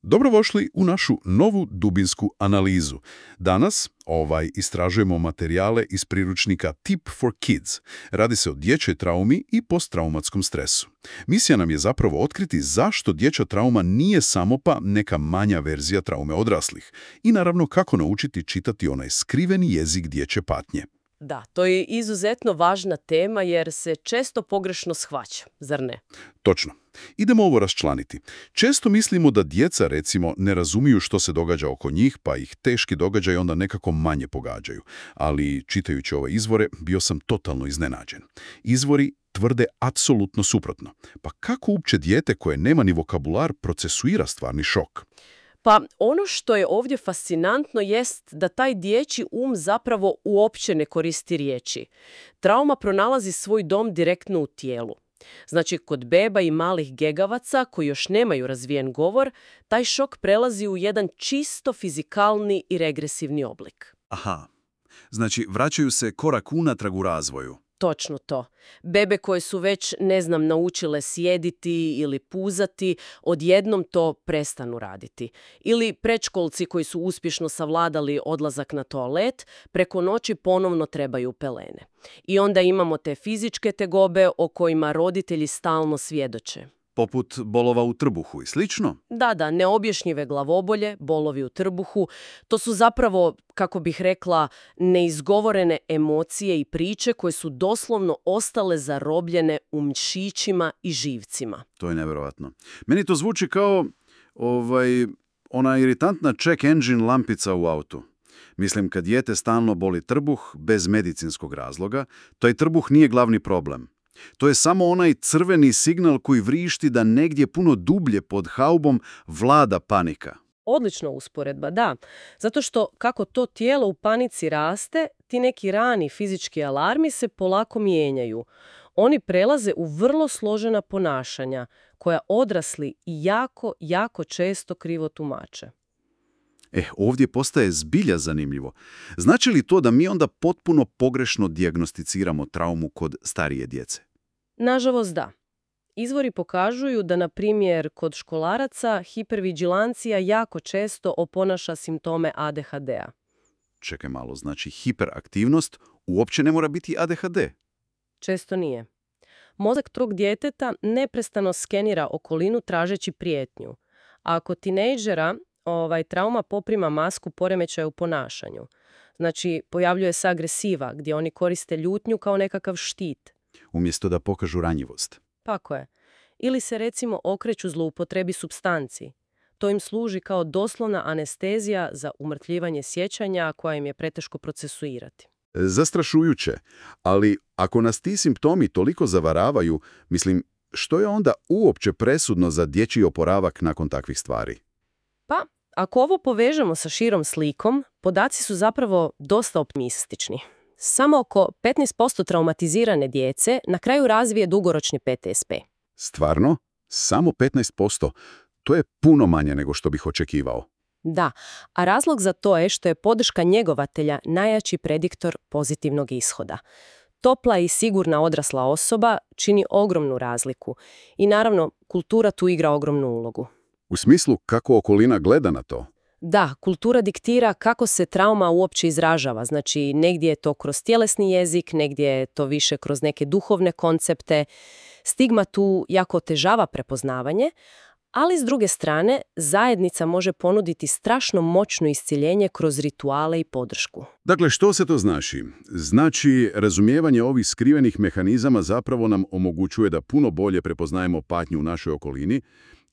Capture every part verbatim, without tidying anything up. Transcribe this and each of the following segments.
Dobrodošli u našu novu dubinsku analizu. Danas ovaj istražujemo materijale iz priručnika Tip for Kids. Radi se o dječjoj traumi i posttraumatskom stresu. Misija nam je zapravo otkriti zašto dječja trauma nije samo pa neka manja verzija traume odraslih i naravno kako naučiti čitati onaj skriveni jezik dječje patnje. Da, to je izuzetno važna tema jer se često pogrešno shvaća, zar ne? Točno. Idemo ovo raščlaniti. Često mislimo da djeca, recimo, ne razumiju što se događa oko njih, pa ih teški događaji onda nekako manje pogađaju. Ali, čitajući ove izvore, bio sam totalno iznenađen. Izvori tvrde apsolutno suprotno. Pa kako uopće dijete koje nema ni vokabular procesuira stvarni šok? Pa ono što je ovdje fascinantno jest da taj dječji um zapravo uopće ne koristi riječi. Trauma pronalazi svoj dom direktno u tijelu. Znači, kod beba i malih gegavaca koji još nemaju razvijen govor, taj šok prelazi u jedan čisto fizikalni i regresivni oblik. Aha, znači vraćaju se korak unatrag u razvoju. Točno to. Bebe koje su već, ne znam, naučile sjediti ili puzati, odjednom to prestanu raditi. Ili predškolci koji su uspješno savladali odlazak na toalet, preko noći ponovno trebaju pelene. I onda imamo te fizičke tegobe o kojima roditelji stalno svjedoče. Poput bolova u trbuhu i slično? Da, da, neobjašnjive glavobolje, bolovi u trbuhu, to su zapravo, kako bih rekla, neizgovorene emocije i priče koje su doslovno ostale zarobljene u mišićima i živcima. To je nevjerojatno. Meni to zvuči kao ovaj, ona iritantna check engine lampica u autu. Mislim, kad dijete stalno boli trbuh bez medicinskog razloga, taj trbuh nije glavni problem. To je samo onaj crveni signal koji vrišti da negdje puno dublje pod haubom vlada panika. Odlična usporedba, da. Zato što kako to tijelo u panici raste, ti neki rani fizički alarmi se polako mijenjaju. Oni prelaze u vrlo složena ponašanja, koja odrasli i jako, jako često krivo tumače. Eh, ovdje postaje zbilja zanimljivo. Znači li to da mi onda potpuno pogrešno dijagnosticiramo traumu kod starije djece? Nažalost, da. Izvori pokažuju da, na primjer, kod školaraca hipervigilancija jako često oponaša simptome A D H D-a. Čekaj malo, znači hiperaktivnost uopće ne mora biti A D H D? Često nije. Mozak tog djeteta neprestano skenira okolinu tražeći prijetnju. A kod tinejdžera ovaj, trauma poprima masku poremećaja u ponašanju. Znači, pojavljuje se agresiva, gdje oni koriste ljutnju kao nekakav štit. Umjesto da pokažu ranjivost. Tako je. Ili se, recimo, okreću zloupotrebi supstanci. To im služi kao doslovna anestezija za umrtljivanje sjećanja koja im je preteško procesuirati. Zastrašujuće, ali ako nas ti simptomi toliko zavaravaju, mislim, što je onda uopće presudno za dječji oporavak nakon takvih stvari? Pa, ako ovo povežemo sa širom slikom, podaci su zapravo dosta optimistični. Samo oko petnaest posto traumatizirane djece na kraju razvije dugoročni P T S P. Stvarno? Samo petnaest posto? To je puno manje nego što bih očekivao. Da, a razlog za to je što je podrška njegovatelja najjači prediktor pozitivnog ishoda. Topla i sigurna odrasla osoba čini ogromnu razliku i naravno kultura tu igra ogromnu ulogu. U smislu kako okolina gleda na to? Da, kultura diktira kako se trauma uopće izražava. Znači, negdje je to kroz tjelesni jezik, negdje je to više kroz neke duhovne koncepte. Stigma tu jako otežava prepoznavanje, ali s druge strane, zajednica može ponuditi strašno moćno isciljenje kroz rituale i podršku. Dakle, što se to znači? Znači, razumijevanje ovih skrivenih mehanizama zapravo nam omogućuje da puno bolje prepoznajemo patnju u našoj okolini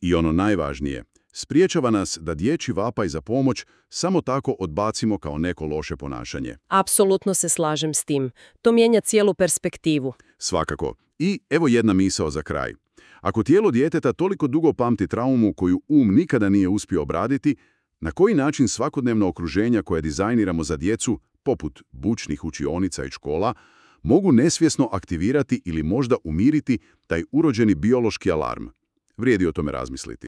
i ono najvažnije, spriječava nas da dječji vapaj za pomoć samo tako odbacimo kao neko loše ponašanje. Apsolutno se slažem s tim. To mijenja cijelu perspektivu. Svakako. I evo jedna misao za kraj. Ako tijelo djeteta toliko dugo pamti traumu koju um nikada nije uspio obraditi, na koji način svakodnevno okruženja koje dizajniramo za djecu, poput bučnih učionica i škola, mogu nesvjesno aktivirati ili možda umiriti taj urođeni biološki alarm? Vrijedi o tome razmisliti.